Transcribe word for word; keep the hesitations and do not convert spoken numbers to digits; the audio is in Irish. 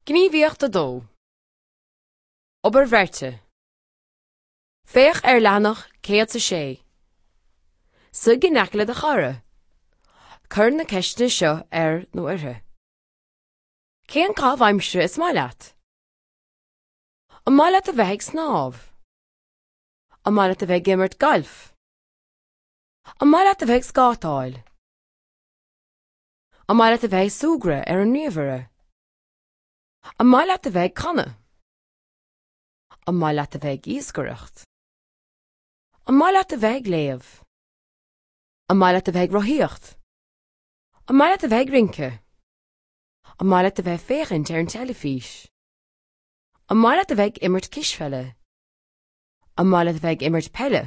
Gníomhaíocht a dó. Obair bheirte. Féach ar leathanach céad a sé. Suigh in aice le do chara. Cuir na ceisteanna seo air nó uirthi. Cén caitheamh aimsire is maith leat? An maith leat a bheith ag snámh? An maith leat a bheith ag imirt gailf? An maith leat a bheith ag scátáil? An maith leat a bheith ag súgradh ar an ríomhaire? An maith leat a bheith ag canadh? An maith leat a bheith ag iascaireacht? An maith leat a bheith ag léamh? An maith leat a bheith ag rothaíocht? An maith leat a bheith ag rince? An maith leat a bheith ag féachaint ar an teilifís? An maith leat a bheith ag imirt cispheile? An maith leat a bheith ag imirt peile?